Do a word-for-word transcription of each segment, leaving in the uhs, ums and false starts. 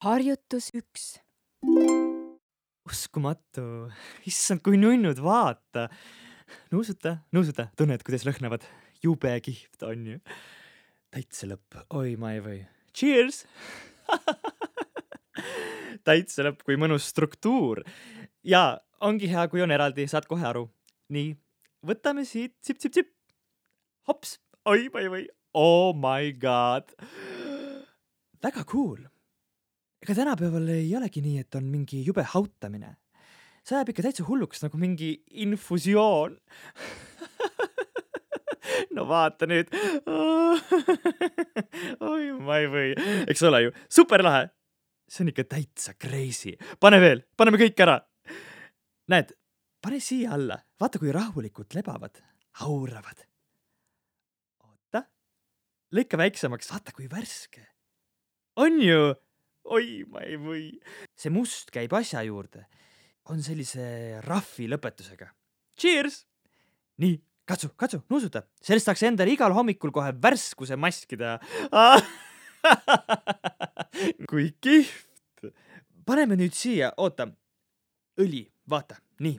Harjutus üks. Uskumatu. Issand, kui nunnud, vaata. Nuusuta, nuusuta, tunned, kuidas lõhnavad. Jube kihvt on ju. Täitsa lõpp. Oi, ma ei või. Cheers! Täitsa lõpp, kui mõnus struktuur. Ja ongi hea, kui on eraldi, saad kohe aru. Nii, võtame siit, sip, sip, sip. Hops, oi, ma ei või. Oh my god. Väga cool. Ega tänapäeval ei olegi nii, et on mingi jube hautamine. See ajab ikka täitsa hulluks nagu mingi infusioon. No vaata nüüd. Oi, ma ei või. Eks ole ju, super lahe. See on ikka täitsa crazy. Pane veel, paneme kõik ära. Näed, pane siia alla. Vaata, kui rahulikult lebavad, hauravad. Oota, lõika väiksemaks, vaata kui värske. On ju? Oi, ma ei või. See must käib asja juurde. On sellise raffi lõpetusega. Cheers! Nii, katsu, katsu, nuusuta. Sellest saaks endale igal hommikul kohe värskuse maskida. Kui kihvt. Paneme nüüd siia, oota. Õli, vaata, nii.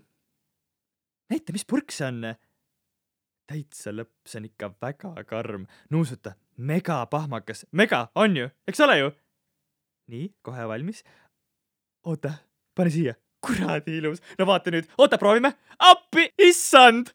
Näita, mis purk see on. Täitsa lõpp, see on ikka väga karm. Nuusuta, mega pahmakas. Mega, on ju? Eks ole ju? Nii, kohe valmis. Oota, pane siia. Kuradi ilus. No vaata nüüd. Oota, proovime. Appi, issand!